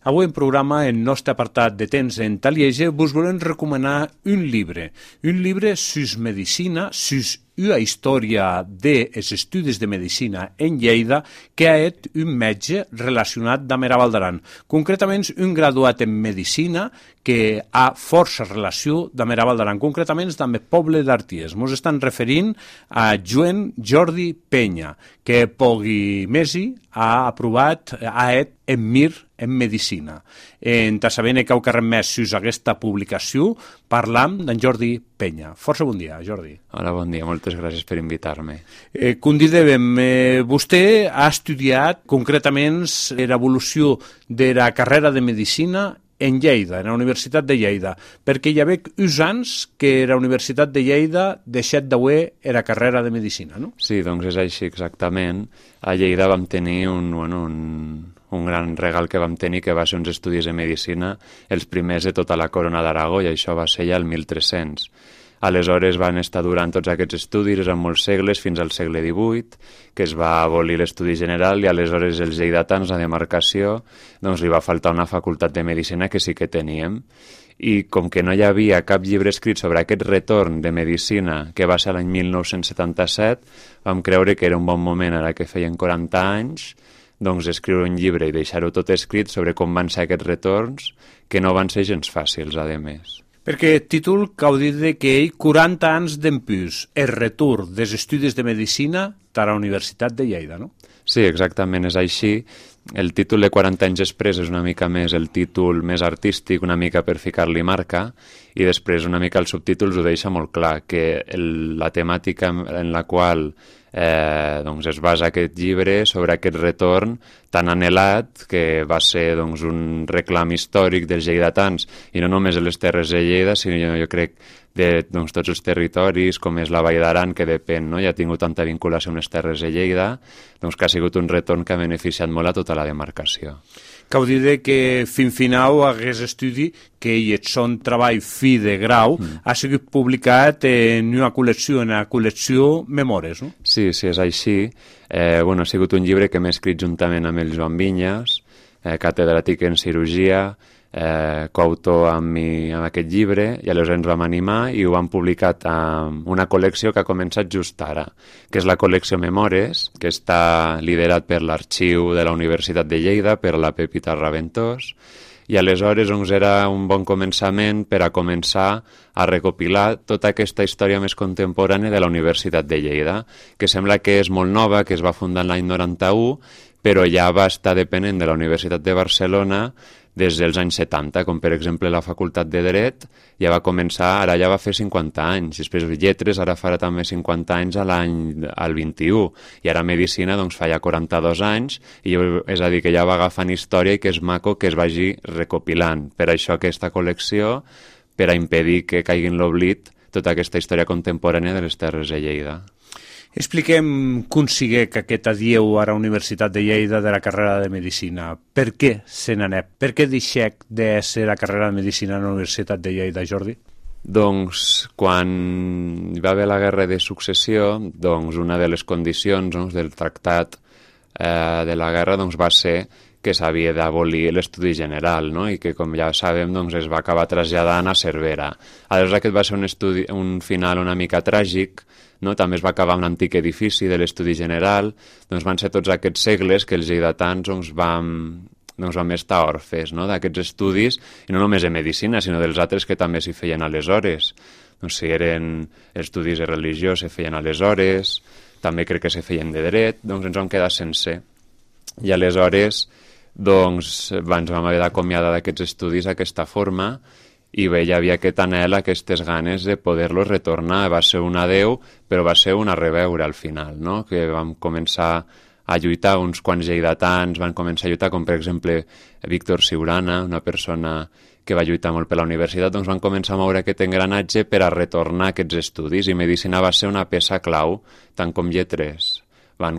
Avui en programa, en nostre apartat de temps en Talieja, vos volem recomanar un llibre sus medicina, sus una història dels estudis de medicina en Lleida que ha fet un metge relacionat amb Era Valdaran. Concretament, un graduat en medicina que ha força relació amb Era Valdaran, concretament amb el poble d'Arties. Ens estan referint a Joan Jordi Penya, que pogui mesi ha aprovat, ha fet en MIR en medicina. En sabent que heu carret més sus aquesta publicació, parlam d'en Jordi Penya. Força bon dia, Jordi. Hola, bon dia. Moltes gràcies per invitar-me. Com dèiem, vostè ha estudiat concretament l'evolució de la carrera de medicina en Lleida, en la Universitat de Lleida, perquè hi havia uns anys que la Universitat de Lleida deixat d'haver la carrera de medicina, no? Sí, doncs és així exactament. A Lleida vam tenir un gran regal que vam tenir, que va ser uns estudis de medicina, els primers de tota la corona d'Aragó, i això va ser ja el 1300. Aleshores van estar durant tots aquests estudis, eren molts segles, fins al segle XVIII, que es va abolir l'estudi general, i aleshores els lleidatans, la demarcació, doncs li va faltar una facultat de medicina que sí que teníem. I com que no hi havia cap llibre escrit sobre aquest retorn de medicina, que va ser l'any 1977, vam creure que era un bon moment, ara que feien 40 anys, doncs escriure un llibre i deixar-ho tot escrit sobre com van ser aquests retorns, que no van ser gens fàcils, a més. Perquè el títol cau dit que ell 40 anys d'empús, el retorn dels estudis de medicina a la Universitat de Lleida, no? Sí, exactament, és així. El títol de 40 anys després és una mica més el títol més artístic, una mica per ficar-li marca, i després una mica els subtítols ho deixa molt clar, que la temàtica en la qual doncs es basa aquest llibre sobre aquest retorn tan anhelat, que va ser doncs, un reclam històric dels lleidatans, i no només de les terres de Lleida, sinó jo crec de doncs, tots els territoris, com és la Vall d'Aran, que depèn, no? Ja ha tingut tanta vinculació amb les terres de Lleida, doncs que ha sigut un retorn que ha beneficiat molt a tota la demarcació. Cau dir que fins final aquest estudi, que ell son treball fi de grau, ha sigut publicat en una col·lecció, en la col·lecció Memores, no? Sí, és així. Ha sigut un llibre que m'he escrit juntament amb el Joan Vinyes, catedràtic en cirurgia, coautor amb aquest llibre, i aleshores ens vam animar i ho vam publicar amb una col·lecció que ha començat just ara, que és la col·lecció Memores, que està liderat per l'Arxiu de la Universitat de Lleida, per la Pepita Raventós, i aleshores doncs, era un bon començament per a començar a recopilar tota aquesta història més contemporània de la Universitat de Lleida, que sembla que és molt nova, que es va fundar l'any 91, però ja va estar depenent de la Universitat de Barcelona des dels anys 70, com per exemple la Facultat de Dret ja va començar, ara ja va fer 50 anys, després Lletres ara farà també 50 anys al 21, i ara Medicina doncs fa ja 42 anys, i és a dir, que ja va agafant història i que és maco que es vagi recopilant. Per això aquesta col·lecció, per a impedir que caigui en l'oblit tota aquesta història contemporània de les terres de Lleida. Expliquem com sigue que aquest adieu a la Universitat de Lleida de la carrera de Medicina. Per què se n'anep? Per què deixec de ser la carrera de Medicina a la Universitat de Lleida, Jordi? Doncs quan hi va haver la Guerra de Successió, doncs una de les condicions del tractat de la guerra va ser que s'havia d'abolir l'estudi general, no? I que, com ja sabem, doncs, es va acabar traslladant a Cervera. Aleshores, aquest va ser un final una mica tràgic, no? També es va acabar amb l'antic edifici de l'estudi general, doncs van ser tots aquests segles que els lleidatans vam estar orfes, no? D'aquests estudis, i no només de medicina, sinó dels altres que també s'hi feien aleshores. Doncs si eren estudis de religió, se feien aleshores, també crec que se feien de dret, doncs ens vam quedar sense. I aleshores doncs ens vam haver d'acomiadar d'aquests estudis d'aquesta forma, i bé, hi havia aquest anhel, aquestes ganes de poder-los retornar. Va ser un adeu, però va ser una reveure al final, no? Que vam començar a lluitar, uns quants lleidatans van començar a lluitar, com per exemple Víctor Siurana, una persona que va lluitar molt per la universitat, doncs van començar a moure aquest engranatge per a retornar aquests estudis, i Medicina va ser una peça clau, tant com Lletres van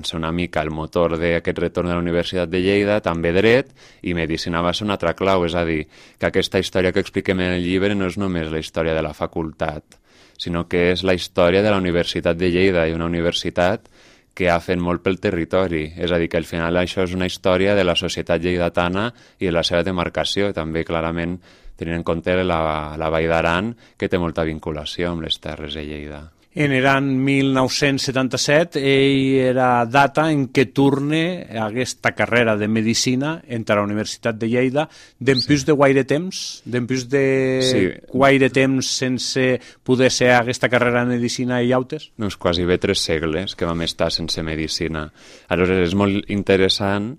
ser una mica el motor d'aquest retorn de la Universitat de Lleida, també Dret, i Medicina va ser una altra clau, és a dir, que aquesta història que expliquem en el llibre no és només la història de la facultat, sinó que és la història de la Universitat de Lleida, i una universitat que ha fet molt pel territori. És a dir, que al final això és una història de la societat lleidatana i de la seva demarcació, també clarament tenint en compte la Vall d'Aran, que té molta vinculació amb les terres de Lleida. En l'any 1977 ell era data en què torne aquesta carrera de medicina entre la Universitat de Lleida d'empús de guaire temps? D'empús de guaire temps sense poder ser aquesta carrera de medicina i llautes? Doncs quasi bé 3 segles que vam estar sense medicina. Aleshores és molt interessant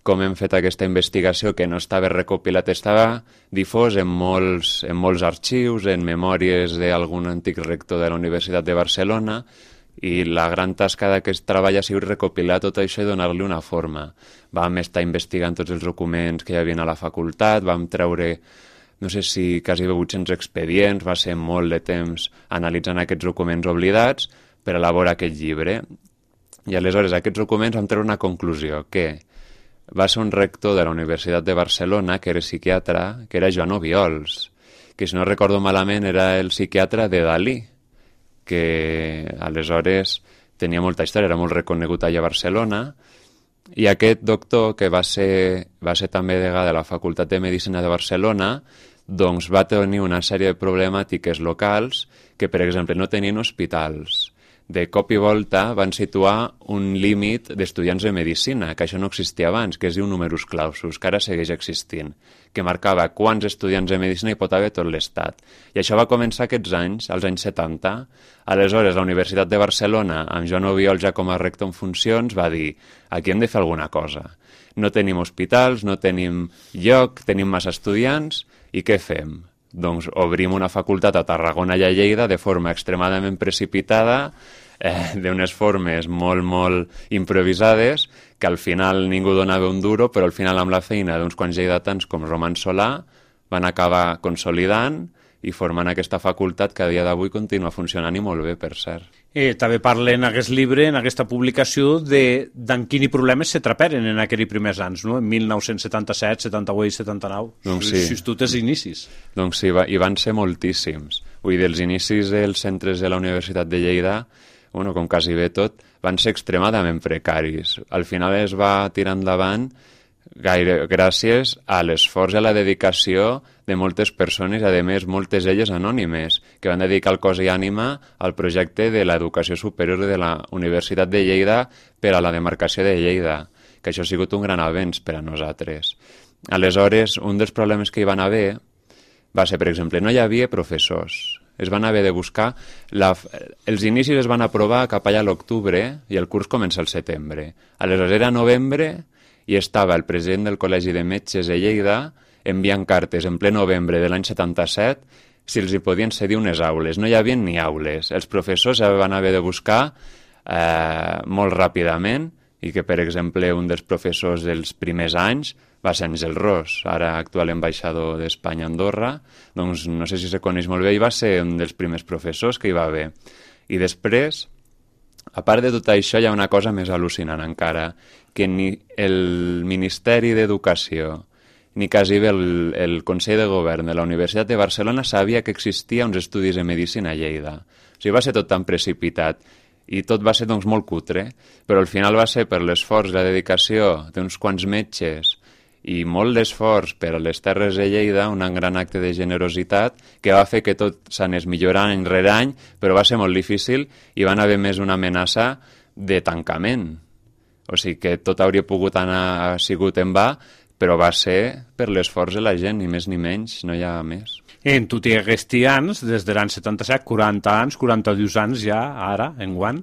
com hem fet aquesta investigació que no estava recopilat, estava difós en molts arxius, en memòries d'algun antic rector de la Universitat de Barcelona, i la gran tasca d'aquest treball ha sigut recopilar tot això i donar-li una forma. Vam estar investigant tots els documents que hi havia a la facultat, vam treure, no sé si quasi 800 expedients, va ser molt de temps analitzant aquests documents oblidats per elaborar aquest llibre. I aleshores aquests documents vam treure una conclusió, que va ser un rector de la Universitat de Barcelona que era psiquiatre, que era Joan Obiols, que si no recordo malament era el psiquiatre de Dalí, que aleshores tenia molta història, era molt reconegut allà a Barcelona, i aquest doctor, que va ser també degà de la Facultat de Medicina de Barcelona, doncs va tenir una sèrie de problemàtiques locals que, per exemple, no tenien hospitals. De cop i volta van situar un límit d'estudiants de medicina, que això no existia abans, que es diu numerus clausus, que ara segueix existint, que marcava quants estudiants de medicina hi pot haver tot l'Estat. I això va començar aquests anys, als anys 70. Aleshores, la Universitat de Barcelona, amb Joan Obiols ja com a rector en funcions, va dir: aquí hem de fer alguna cosa. No tenim hospitals, no tenim lloc, tenim massa estudiants, i què fem? Doncs obrim una facultat a Tarragona i a Lleida de forma extremadament precipitada, d'unes formes molt improvisades, que al final ningú donava un duro, però al final amb la feina d'uns quants lleidatans com Roman Solà van acabar consolidant i formant aquesta facultat que a dia d'avui continua funcionant i molt bé, per cert. També parla en aquest llibre, en aquesta publicació, d'en quins problemes se traperen en aquells primers anys, no? En 1977, 78, 79. Doncs sí. Si tu tens inicis. Doncs sí, hi van ser moltíssims. Vull dir, els inicis dels centres de la Universitat de Lleida, com quasi bé tot, van ser extremadament precaris. Al final es va tirar endavant gràcies a l'esforç i a la dedicació de moltes persones, a més moltes elles anònimes, que van dedicar el cos i ànima al projecte de l'educació superior de la Universitat de Lleida per a la demarcació de Lleida, que això ha sigut un gran avenç per a nosaltres. Aleshores, un dels problemes que hi van haver va ser, per exemple, no hi havia professors. Es van haver de buscar... Els inicis es van aprovar cap allà a l'octubre i el curs comença al setembre. Aleshores, era novembre i estava el president del Col·legi de Metges de Lleida enviant cartes en ple novembre de l'any 77 si els hi podien cedir unes aules. No hi havia ni aules. Els professors van haver de buscar molt ràpidament, i que, per exemple, un dels professors dels primers anys va ser Àngel Ros, ara actual ambaixador d'Espanya a Andorra, doncs no sé si se coneix molt bé, i va ser un dels primers professors que hi va haver. I després, a part de tot això, hi ha una cosa més al·lucinant encara, que ni el Ministeri d'Educació ni quasi bé el Consell de Govern de la Universitat de Barcelona sabia que existia uns estudis de medicina a Lleida. O sigui, va ser tot tan precipitat i tot va ser doncs molt cutre, però al final va ser per l'esforç i la dedicació d'uns quants metges i molt d'esforç per a les terres de Lleida, un gran acte de generositat que va fer que tot s'anés millorant any rere any, però va ser molt difícil i van haver més una amenaça de tancament. O sigui que tot hauria pogut anar sigut en va, però va ser per l'esforç de la gent, ni més ni menys, no hi ha més. En tots aquests anys, des de l'any 77, 40 anys, 42 anys ja, ara, enguany,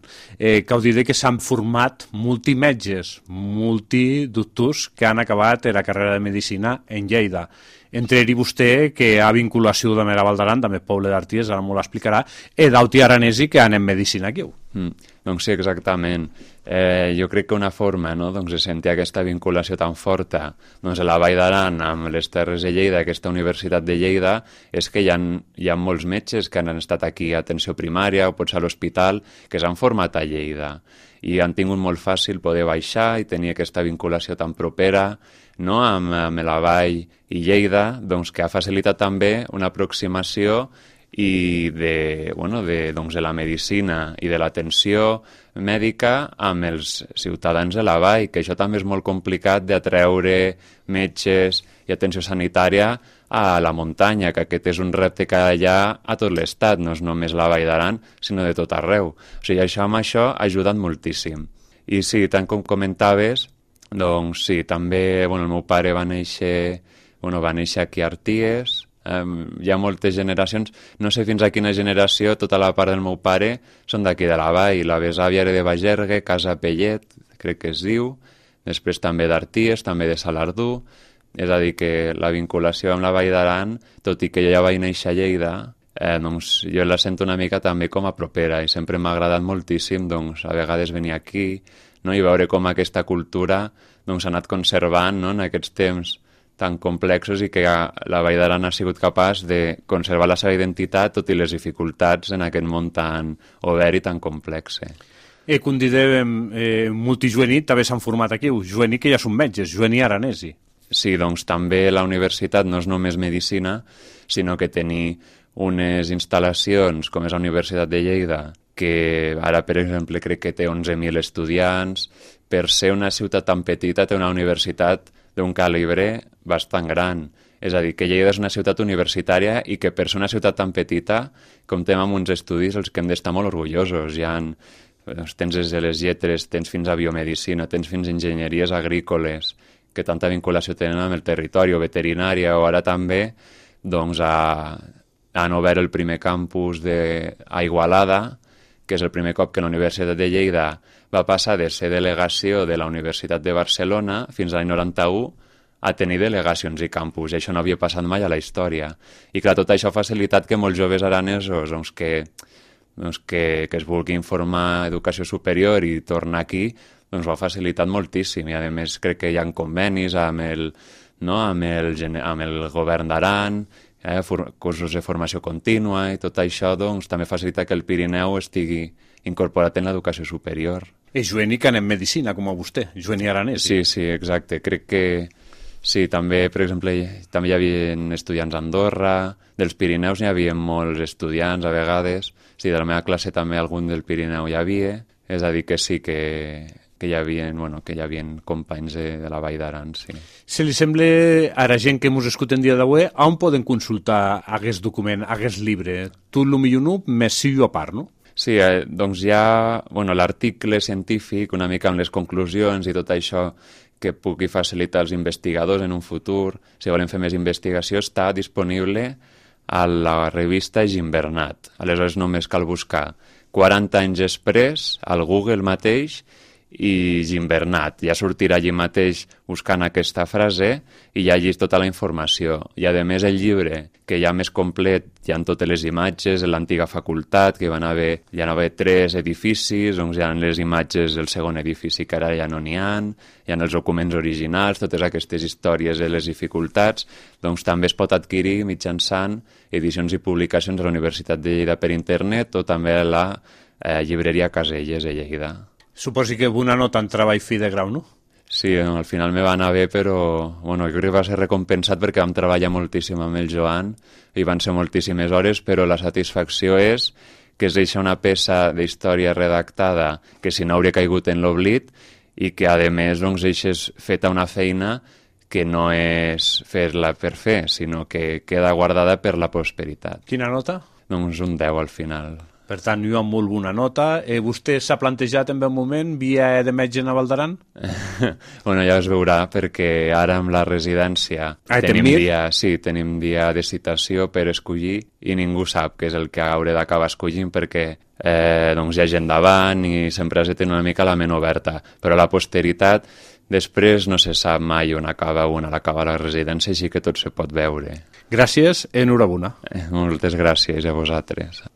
cal dir que s'han format multimetges, multidoctors que han acabat la carrera de medicina en Lleida. Entre ells vostè, que ha vinculació també a la Val d'Aran, també Poble d'Arties, ara m'ho l'explicarà, i d'auti aranesi que han en medicina aquí. Doncs sí, exactament. Jo crec que una forma de sentir aquesta vinculació tan forta a la Vall d'Aran amb les Terres de Lleida, aquesta Universitat de Lleida, és que hi ha molts metges que han estat aquí a atenció primària o potser a l'hospital, que s'han format a Lleida i han tingut molt fàcil poder baixar i tenir aquesta vinculació tan propera amb la Vall i Lleida, doncs que ha facilitat també una aproximació i de la medicina i de l'atenció mèdica amb els ciutadans de la vall, que això també és molt complicat d'atreure metges i atenció sanitària a la muntanya, que aquest és un repte que hi ha a tot l'estat, no és només la Vall d'Aran, sinó de tot arreu. O sigui, això ha ajudat moltíssim. I sí, tant com comentaves, doncs sí, també el meu pare va néixer aquí a Arties. Hi ha moltes generacions, no sé fins a quina generació, tota la part del meu pare són d'aquí de la vall, la besàvia era de Bagergue, Casa Pellet, crec que es diu, després també d'Arties, també de Salardú, és a dir que la vinculació amb la Vall d'Aran, tot i que jo ja vaig néixer a Lleida, doncs jo la sento una mica també com a propera i sempre m'ha agradat moltíssim doncs, a vegades venir aquí, no? I veure com aquesta cultura doncs, s'ha anat conservant, no? En aquests temps tan complexos i que la Vall d'Aran ha sigut capaç de conservar la seva identitat tot i les dificultats en aquest món tan obert i tan complex. Com dèiem, multijuvenit també s'han format aquí, juvenit que ja són metges, juvenit aranesi. Sí, doncs també la universitat no és només medicina, sinó que tenir unes instal·lacions com és la Universitat de Lleida, que ara, per exemple, crec que té 11.000 estudiants, per ser una ciutat tan petita té una universitat d'un calibre bastant gran. És a dir, que Lleida és una ciutat universitària i que per ser una ciutat tan petita comptem amb uns estudis els que hem d'estar molt orgullosos. Tens des de les lletres, tens fins a biomedicina, tens fins a enginyeries agrícoles, que tanta vinculació tenen amb el territori, o veterinària, o ara també doncs, han obert el primer campus a Igualada, que és el primer cop que la Universitat de Lleida va passar de ser delegació de la Universitat de Barcelona fins a l'any 91 a tenir delegacions i campus, i això no havia passat mai a la història. I clar, tot això ha facilitat que molts joves aranesos que es vulguin formar educació superior i tornar aquí, doncs ho ha facilitat moltíssim, i a més crec que hi ha convenis amb el govern d'Aran, cursos de formació contínua, i tot això doncs, també facilita que el Pirineu estigui incorporat en l'educació superior. És juvenil que anem medicina, com a vostè, juvenil aranès. Sí, exacte. Crec que sí, també, per exemple, també hi havia estudiants a Andorra, dels Pirineus n'hi havia molts estudiants a vegades, sí, de la meva classe també algun del Pirineu hi havia, és a dir que sí que hi havia companys de la Vall d'Aran, sí. Si li sembla a la gent que ens escolten dia d'avui, on poden consultar aquest document, aquest llibre? Tu el millor no, més sí jo a part, no? Sí, doncs hi ha l'article científic, una mica amb les conclusions i tot això que pugui facilitar els investigadors en un futur. Si volen fer més investigació, està disponible a la revista Gimbernat. Aleshores només cal buscar 40 anys després al Google mateix i Gimbernat. Ja sortirà allí mateix buscant aquesta frase i ja llegeix tota la informació. I a més el llibre, que ja més complet, hi ha totes les imatges de l'antiga facultat, que hi van haver 3 edificis, doncs hi ha les imatges del segon edifici que ara ja no n'hi ha els documents originals, totes aquestes històries de les dificultats, doncs també es pot adquirir mitjançant edicions i publicacions de la Universitat de Lleida per internet o també a la llibreria Caselles de Lleida. Suposi que una nota en treball fi de grau, no? Sí, al final me va anar bé, però jo crec que va ser recompensat perquè vam treballar moltíssim amb el Joan i van ser moltíssimes hores, però la satisfacció és que es deixa una peça d'història redactada que si no hauria caigut en l'oblit i que a més doncs, deixes feta una feina que no és fer-la per fer, sinó que queda guardada per la prosperitat. Quina nota? Doncs un 10 al final. Per tant, jo amb molt bona nota. Vostè s'ha plantejat en un moment via de metge a Vall d'Aran? Ja es veurà, perquè ara amb la residència tenim dia de citació per escollir i ningú sap què és el que hauré d'acabar escollint perquè hi ha gent davant i sempre has de tenir una mica la ment oberta. Però la posteritat, després no se sap mai on acaba la residència, així que tot se pot veure. Gràcies, enhorabona. Moltes gràcies a vosaltres.